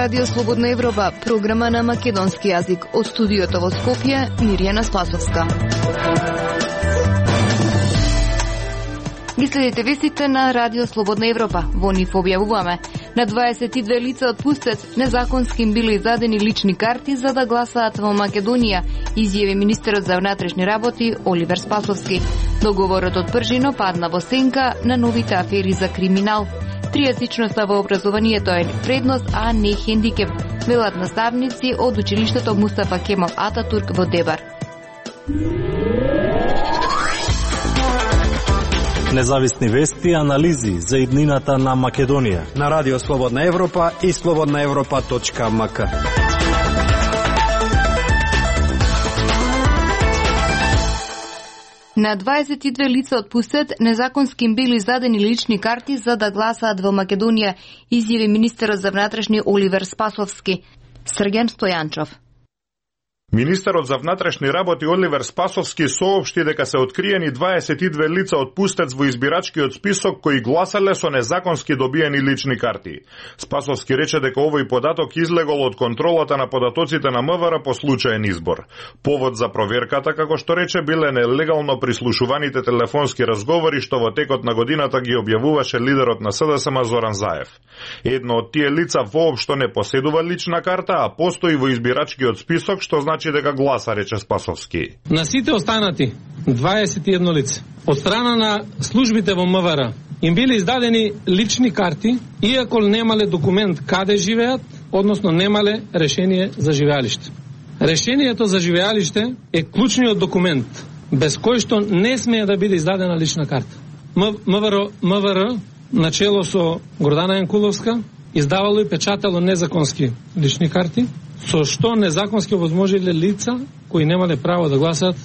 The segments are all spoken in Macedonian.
Радио Слободна Европа, програма на македонски јазик. Од студиото во Скопје, Мирјана Спасовска. Ги следите вестите на Радио Слободна Европа. Во нив објавуваме: на 22 лица отпустет, незаконски им биле издадени лични карти за да гласаат во Македонија, изјави министерот за внатрешни работи Оливер Спасовски. Договорот од пржино падна во сенка на новите афери за криминал. Тријазичноста во образованието е предност, а не хендикеп, велат наставници од училиштето Мустафа Кемал Ататурк во Дебар. Независни вести и анализи за иднината на Македонија на Радио Слободна Европа и slobodnaevropa.mk. На 22 лица отпустет, незаконски им били издадени лични карти за да гласаат во Македонија, изјави министерот за внатрешни Оливер Спасовски. Срген Стојанчов. Министерот за внатрешни работи Оливер Спасовски соопшти дека се откриени 22 лица отпустец во избирачкиот список кои гласале со незаконски добиени лични карти. Спасовски рече дека овој податок излегол од контролата на податоците на МВР по случаен избор. Повод за проверката, како што рече, биле нелегално прислушуваните телефонски разговори што во текот на годината ги објавуваше лидерот на СДСМ Зоран Заев. Едно од тие лица воопшто не поседува лична карта, а постои во избирачкиот список, што значи дека гласа, рече Спасовски. На сите останати 21 лица од страна на службите во МВР им биле издадени лични карти, иако немале документ каде живеат, односно немале решение за живеалиште. Решението за живеалиште е клучниот документ без кој што не смее да биде издадена лична карта. МВР начело со Гордана Јанкуловска издавало и печатало незаконски лични карти, со што незаконски овозможиле лица кои немале право да гласаат.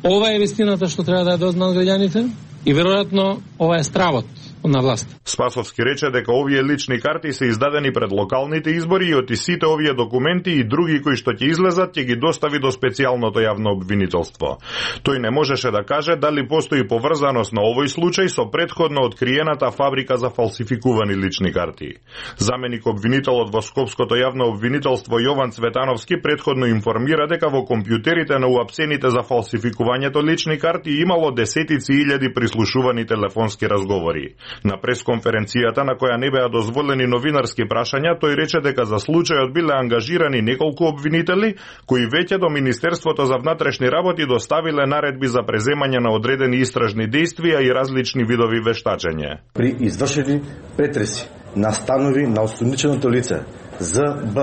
Ова е вистината што треба да ја дознаат граѓаните и веројатно ова е стравот на власт. Спасовски рече дека овие лични карти се издадени пред локалните избори и од сите овие документи и други кои што ќе излезат ќе ги достави до специјалното јавно обвинителство. Тој не можеше да каже дали постои поврзаност на овој случај со претходно откриената фабрика за фалсификувани лични карти. Заменик обвинителот во Скопското јавно обвинителство Јован Цветановски претходно информира дека во компјутерите на уапсените за фалсификувањето лични карти имало десетици илјади прислушувани телефонски разговори. На пресконференцијата на која не беа дозволени новинарски прашања, тој рече дека за случајот биле ангажирани неколку обвинители кои веќе до Министерството за внатрешни работи доставиле наредби за преземање на одредени истражни действија и различни видови вештачење. При извршени претреси на станови на осумниченото лице ЗБ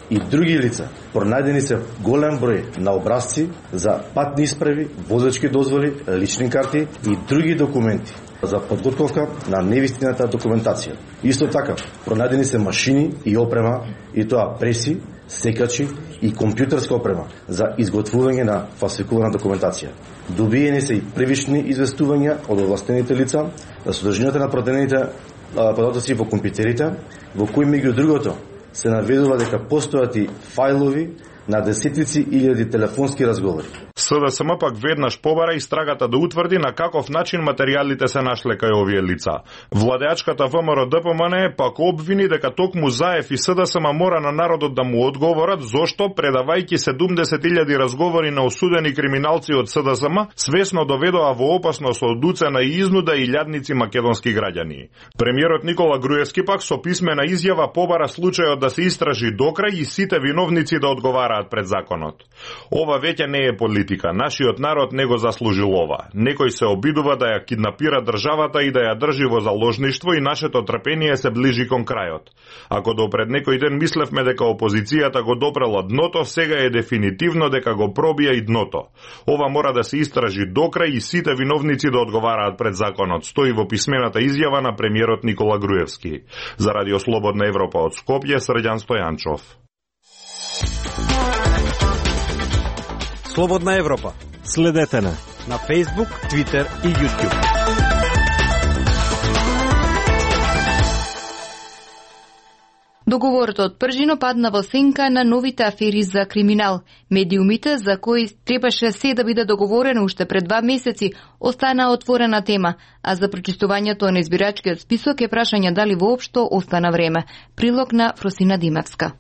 и други лица пронајдени се голем број на образци за патни исправи, возачки дозволи, лични карти и други документи за подготовка на невистината документација. Исто така, пронајдени се машини и опрема, и тоа преси, секачи и компјутерска опрема за изготвување на фалсификувана документација. Добиени се и превишни известувања од овластените лица за содржината на продадените податоци во компјутерите, во кои меѓу другото се наведува дека постојат и фајлови на десетици илјади телефонски разговори. СДСМ пак веднаш побара истрагата да утврди на каков начин материјалите се нашле кај овие лица. Владеачката ВМРО ДПМН пак обвини дека токму Заев и СДСМ мора на народот да му одговорат зошто, предавајќи 70.000 разговори на осудени криминалци од СДСМ, свесно доведоа во опасност од уцена и изнуда илјадници македонски граѓани. Премиерот Никола Груевски пак со писмена изјава побара случајот да се истражи докрај и сите виновници да одговараат пред законот. Ова веќе не е политика. Нашиот народ не го заслужил ова. Некој се обидува да ја киднапира државата и да ја држи во заложништво и нашето трпение се ближи кон крајот. Ако допред некој ден мислевме дека опозицијата го допрела дното, сега е дефинитивно дека го пробија и дното. Ова мора да се истражи докрај и сите виновници да одговараат пред законот, стои во писмената изјава на премиерот Никола Груевски. За Радио Слободна Европа од Скопје, Срđan Стојанчов. Слободна Европа. Следете на Facebook, Twitter и YouTube. Договорот од Пржино падна во сенка на новите афери за криминал. Медиумите, за кои требаше се да биде договорено уште пред 2 месеци, остана отворена тема, а за прочистувањето на избирачкиот список е прашање дали воопшто остана време. Прилог на Фросина Димевска.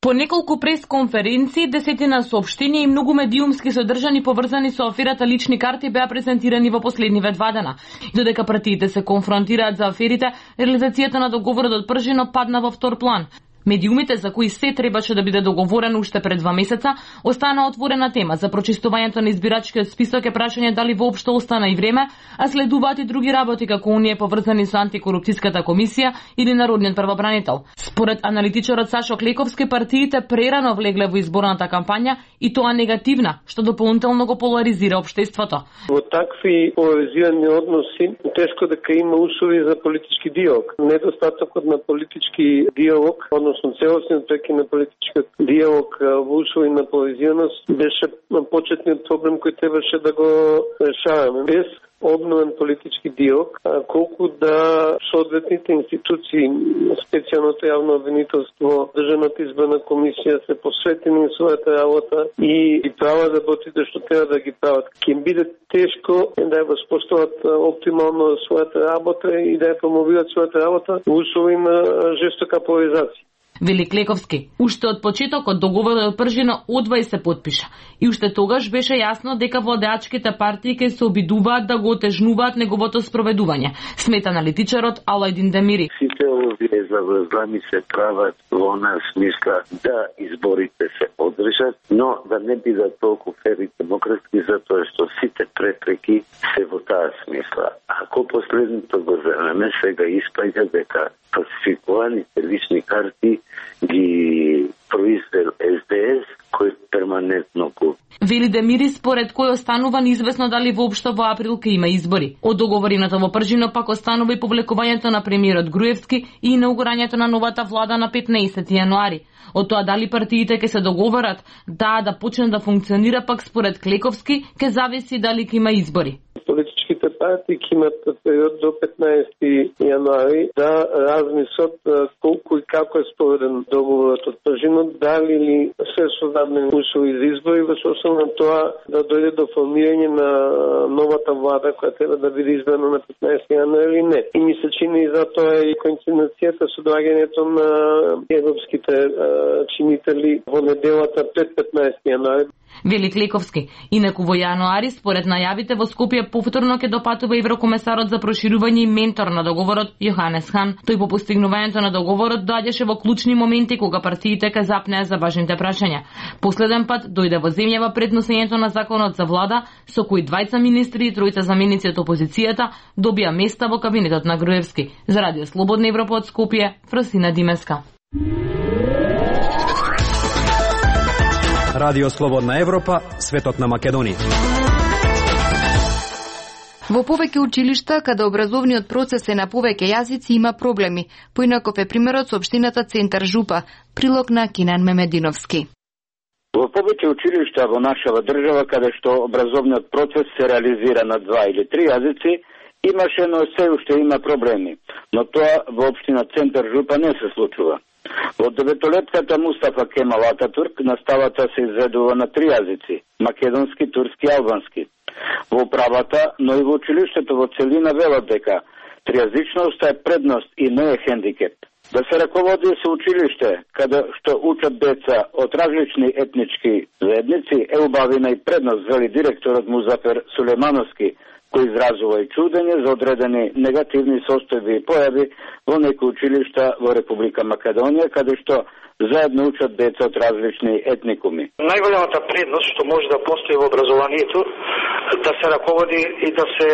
По неколку пресконференции, десетина соопштенија и многу медиумски содржани поврзани со аферата лични карти беа презентирани во последниве 2 дена. Додека партиите се конфронтираат за аферите, реализацијата на договорот од Пржино падна во втор план. Медиумите, за кои се требаше да биде договорено уште пред 2 месеца, остана отворена тема. За прочистувањето на избирачкиот список е прашање дали воопшто остана и време, а следуваат и други работи како оние поврзани со антикорупцијската комисија или народниот правобранител. Според аналитичарот Сашо Клековски, партиите прерано влегле во изборната кампања и тоа негативна, што дополнително го поларизира општеството. Во такви поларизирани односи тешко дека има услови за политички диалог. Недостатокот на политички диалог, односно целосен преки на политичкиот диалог во услови на поларизираност беше почетниот проблем кој требаше да го решаваме. Без обновен политички диалог, колку да соодветните институции, специјалното јавно обвинителство, Државната изборна комисија се посветени на својата работа и прават работите што треба да ги прават. Ќе им биде тешко да ја воспостават оптимално својата работа и да ја промовираат својата работа во услови на жестока поларизација. Вели Клековски. Уште од почетокот договорот од Пржино одвај се потпиша. И уште тогаш беше јасно дека владеачките партии ќе се обидуваат да го отежнуваат неговото спроведување. Смета аналитичарот Алајдин Демири. Сите овие заврзани се прават во она смисла да изборите се одржат, но да не бидат толку фер и демократски, затоа што сите препреки се во таа смисла. Ако последното го земеме, сега испаѓа дека фалсификуваните лични карти ги произвел СДС, кој перманентно го. Вели Демири, според кој останува неизвестно дали воопшто во април ќе има избори. Од договореното во Пржино пак останува и публикувањето на премиерот Груевски и инаугурањето на новата влада на 15 јануари. Од тоа дали партиите ќе се договорат да почне да функционира, пак според Клековски ќе зависи дали ќе има избори. Политичките партии ќе имат период до 15 јануари да размислат колку и како е спроведен договорот од Пржино, дали ли се создадени услови за избори, во смисла на тоа да дојде до формирање на новата влада која треба да биде избрана на 15 јануари или не. И ми се чини за тоа и коинциденцијата со доаѓањето на европските чинители во неделата пред 15 јануари. Вели Клековски. Инаку во јануари, според најавите во Скопје, повторно ќе допатува еврокомесарот за проширување и ментор на договорот Јоханес Хан. Тој по постигнувањето на договорот доаѓаше во клучни моменти кога партиите ка запнеа за важните прашања. Последен пат дојде во земјава пред носењето на законот за влада, со кој 2 министри и 3 заменици од опозицијата добија места во кабинетот на Груевски. За Радио Слободна Европа од Скопје, Фросина Димевска. Радио Слободна Европа, светот на Македонија. Во повеќе училишта, каде образовниот процес е на повеќе јазици, има проблеми. Поинаков е примерот со општината Центар Жупа. Прилог на Кинан Мемединовски. Во повеќе училишта во нашава држава, каде што образовниот процес се реализира на 2 или 3 јазици, имаше, но се уште има проблеми. Но тоа во општина Центар Жупа не се случува. Во 9-летката Мустафа Кемал Ататурк наставата се изведува на 3 јазици – македонски, турски и албански. Во управата, но и во училиштето во целина велат дека тријазичноста е предност и не е хендикеп. Да се раководи со училиште, каде што учат деца од различни етнички заедници, е убавина и предност, вели директорот Музафер Сулеймановски, кој изразува и чудење за одредени негативни состојби и појави во некои училишта во Република Македонија, каде што заедно учат деца од различни етникуми. Најголемата предност што може да постои во образованието да се раководи и да се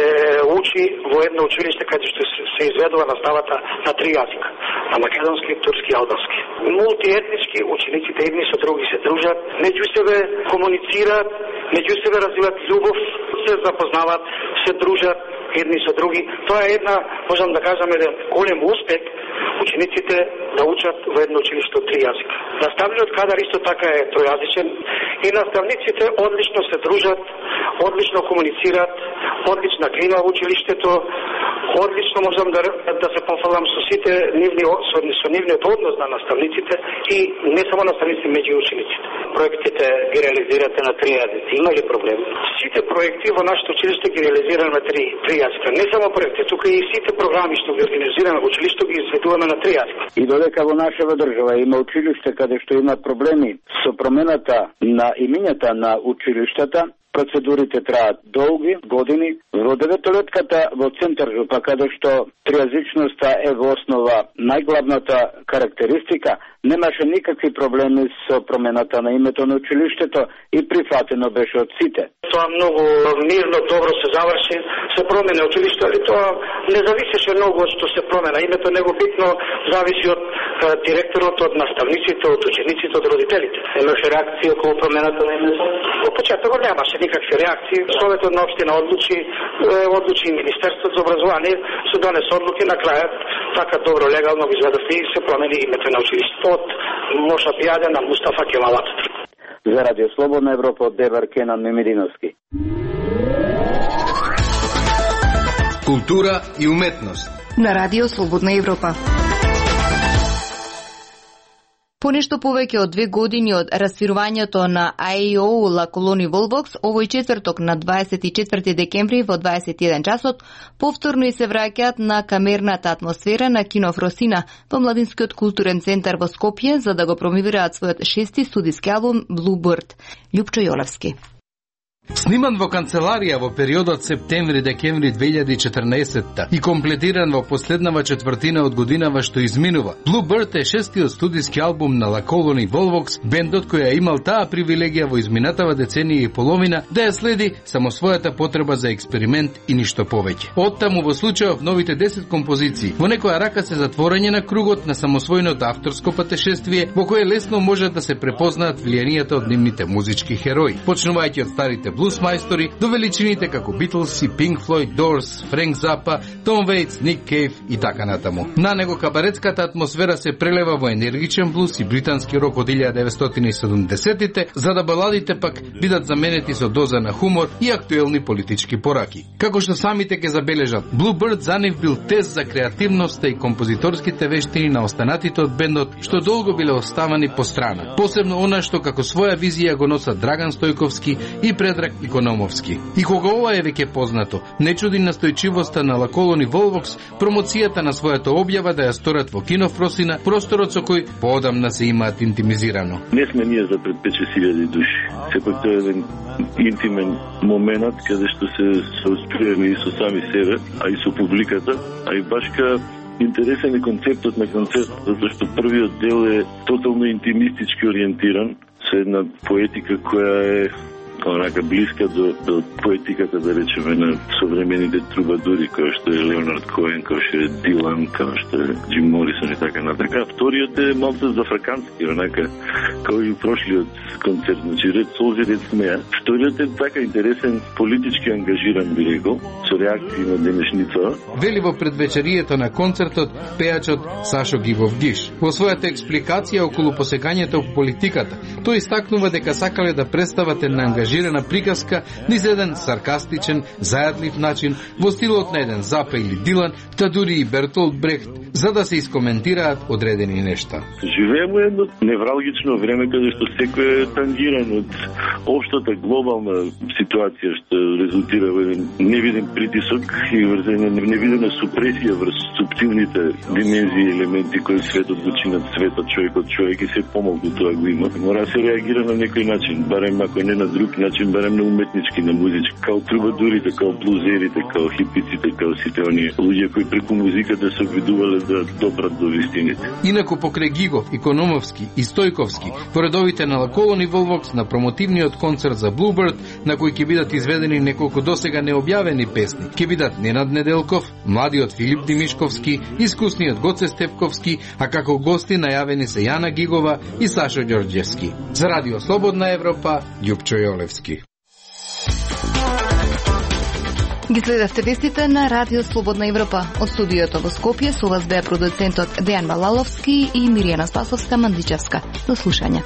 учи во едно училиште каде што се изведува наставата на 3 јазика, на македонски, турски и албански. Мултиетнички учениците едни со други се дружат, меѓу себе комуницираат, меѓу себе развиваат љубов, се запознаваат, се дружат едни со други. Тоа е една, можам да кажам, еден голем успех учениците да учат во едно училиште од 3 јазика. Наставниот кадар исто така е тројазичен и наставниците одлично се дружат, одлично комуницираат, одлична клима во училиштето, Одлично можам да се пофалам со сите нивниот однос на наставниците и не само наставниците, меѓу учениците. Проектите ги реализирате на 3 јазици. Има ли проблем? Сите проекти во нашето училиште ги реализираме на 3 јазика. Не само проекти, тука и сите програми што ги организираме во училиште ги изведуваме на 3 јазика. И додека во нашава држава има училиште каде што има проблеми со промената на имињата на училиштата, процедурите траат долги години. Во 9-летката во Центар Жупа, каде што тријазичноста е во основа најглавната карактеристика, немаше никакви проблеми со промената на името на училиштето и прифатено беше од сите. Тоа многу мирно, добро се заврши, се промена училиште, али тоа не зависеше многу од што се промена името, него битно зависи од директорот, од наставниците, од учениците, од родителите. Имаше реакција околу промената на името? Во почетокот немаше никакви реакции. Советот на општина одлучи и Министерството за образование, се донесе одлуки на крајот, така добро легално го изведовме и се промени името на училиштето од Моша Пијаде на Мустафа Кемал Ататурк. За Радио Слободна Европа од Дебар Кенан Мемидиновски. Култура и уметност на Радио Слободна Европа. Понешто повеќе од 2 години од расфирувањето на АЕО La Colony Volvox, овој четврток на 24 декември во 21 часот, повторно и се враќаат на камерната атмосфера на Кино Фросина во Младинскиот културен центар во Скопје за да го промовираат својот 6-ти студиски албум Bluebird. Љупчо Јолевски. Сниман во канцеларија во периодот септември-декември 2014 и комплетиран во последнава четвртина од годинава што изминува. Bluebird е 6-тиот студиски албум на La Colony Volvox, бендот кој ја имал таа привилегија во изминатава деценија и половина да ја следи само својата потреба за експеримент и ништо повеќе. Оттаму во случајов новите 10 композиции во некоја рака се затворање на кругот на самосвојното авторско патешествие во кое лесно можат да се препознаат влијанието од нивните музички херои, почнувајќи од старите блус мајстори до величините како Beatles и Pink Floyd, Doors, Френк Запа, Том Вейтс, Ник Кейв и така натаму. На него кабаретската атмосфера се прелева во енергичен блус и британски рок од 1970-тите, за да баладите пак бидат заменети со доза на хумор и актуелни политички пораки. Како што самите ќе забележат, Bluebird за нив бил тест за креативноста и композиторските вештини на останатите од бендот, што долго биле оставани по страна. Посебно она што како своја визија го носат Драган Стојковски и Предраг Икономовски. И кога ова е веќе познато, не чуди настојчивоста на La Colony Volvox промоцијата на својата објава да ја сторат во Кино Фросина, просторот со кој поодамна се имаат интимизирано. Не сме ние за пред 5-6 души. Сепак тоа е еден интимен момент каде што се соосприеме и со сами себе, а и со публиката, а и башка интересен е концептот на концерт, затоа што првиот дел е тотално интимистички ориентиран, со една поетика која е онака блиска до поетиката, да речеме, на современите трубадури, кој што е Леонард Коен, кој што е Дилан, кој што е Джим Морисон и така натака. Вториот е малку зафракански, онака, како и прошлиот концерт, значи ред солзи, ред смеја. Вториот е така интересен, политички ангажиран, би рекол, со реакции на денешница. Вели во предвечерието на концертот пејачот Сашо Гивов Гиш. Во својата експликација околу посекањето во политиката, тој истакнува дека сакале да представат на ангажирана приказка низ еден саркастичен, зајадлив начин, во стилот на еден Запа или Дилан, та дури и Бертолд Брехт, за да се искоментираат одредени нешта. Живееме едно невралгично време каде што секој е тангиран од општата глобална ситуација што резултира во еден невиден притисок и врз една невидена супресија врз суптилните димензии и елементи кои светот го чинат светот, човек и се помалку тоа го има. Мора да се реагира на некој начин, барем ако не на друг начин, барем на уметнички, на музички, као трубадурите, као блузерите, као хипиците, као сите оние луѓе кои преку музиката се обидувале да допрат до вистините. Инаку покрај Гигов, Икономовски и Стојковски, по редовите на La Colony Volvox на промотивниот концерт за Bluebird, на кој ќе бидат изведени неколку досега необјавени песни, ќе бидат Ненад Неделков, младиот Филип Димишковски, искусниот Гоце Степковски, а како гости најавени се Јана Гигова и Сашо Ѓорѓевски. За Радио Слободна Европа, Љупчо Јолевски. Ги следевте вестите на Радио Слободна Европа. Од студиото во Скопје со вас беа продуцентот Дејан Балаловски и Миријана Спасовска-Мандичевска. До слушање.